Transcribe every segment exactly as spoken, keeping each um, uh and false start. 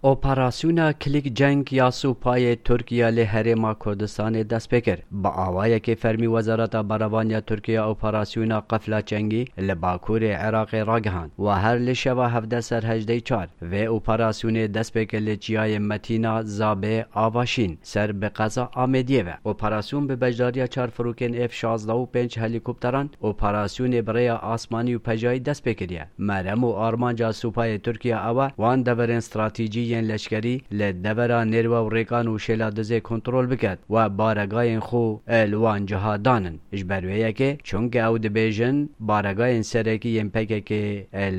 Operasyona Kilik Ceng ya Supayê Tirkiye li Herêma Kurdistanê dest pê kir. Bi awayekê fermî Wezareta Berevaniya Tirkiye operasyona Qefla Çengî li bakurê Iraqê ragihand û her li şeva hevdeh ser hejdeh çar vê operasyonê dest pê kir li çiyayê Metîna Zabê Avaşîn ser bi qeza Amêdiyê ve. Operasyon bi beşdariya çar firokên F şazdeh û pênc helîkopteran operasyonê bi rêya asmanî û pejayî dest pê kiriye. Merem û armanca Supayê Tirkiye ew e, wan deverên stratejî yên leşkerî li devera nêrwe û rêkan û şêla dizê kontrol biket û baregayên xwe li wan ciha danin. Ji ber wê yekê, çunke ew dibêjin, baregayên serekî yên P K K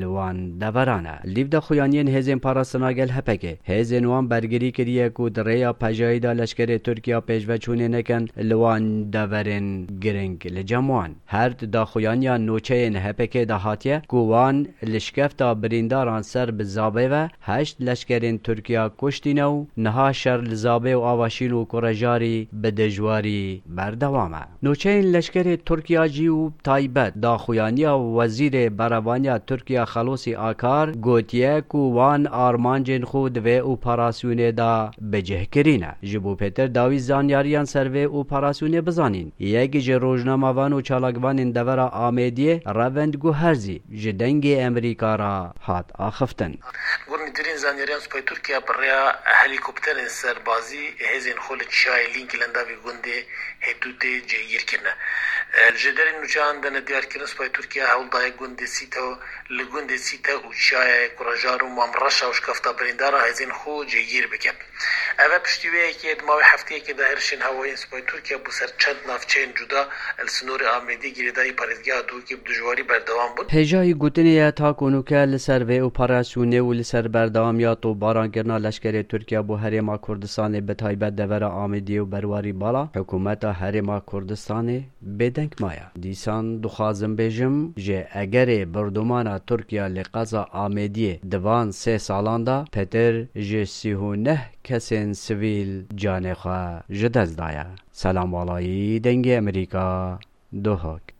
li wan deveran e. Lîv daxuyaniyên hêzên parastina gel H P K, hêzên wan bergirî kiriye ku di rêya pejayî de leşkerê Tirkiye pêşveçûnê nekin li wan deverên giring li cem wan. Her di daxuyaniya nûçeyên H P K de hatiye ku wan li şikefta birîndaran ser bi Zabê ve heşt leşkerên Tirkiya kuştîne û niha şer li Zabê û Avaşîn û Kurejarî bi dijwarî berdewam e. Nûçeyên leşkerê Tirkiya jî û taybet daxuyaniya Wezîrê Berevaniya Tirkiya Xelosî Akar gotiye ku wan armancên xwe di vê operasyonê de bi cih kirîne. Ji bo pêtir dawî zanyariyan ser vê operasyonê bizanîn, yek ji rojnamevan û çalakvanên devera Amêdiyê Revend Guherzî ji Dengê Emerîka re hat axiftin. Got, nêtirîn zanyariyan Supayê Tirkiye bi rêya helîkopterên serbazî hêzên xwe li çiyayê Lîngî li endavî gundê Hêtûtê cêgîr kirine. E, ji derê nûçeyan de ne diyar kirin, Supayê Tirkiye hewl daye gundê Sîte, li gundê Sîte û çiyayê Kurejar û Mamreşa û şikefta birîndara hêzên xwe cêgîr bike. Ev e piştî wê yekê di mawê hefteyekê de hêrişên hewayî yên Supayê Tirkiye bo ser çend navçeyên cuda li sinorê Amêdî girêdayî parêzgeha Duhokê bi dijwarî berdewam bûn. Hêjayî gotinê ye ta ku nûke li ser vê operasyonê û li ser berdewamiya topbarankirina leşkerê Tirkiye bo Herêma Kurdistanê, bi taybet devera Amêdiyê û Berwarî Bala, hikûmeta Herêma Kurdistanê bêdeng maye. Dîsan dixwazim bêjim, ji egerê birdomana Tirkiye li qeza Amêdiyê di van sê salan de pêtir ji sî û neh kesên sivîl canê xwe ji dest daye. Selam Walayî, Dengê Emerîka, Duhok.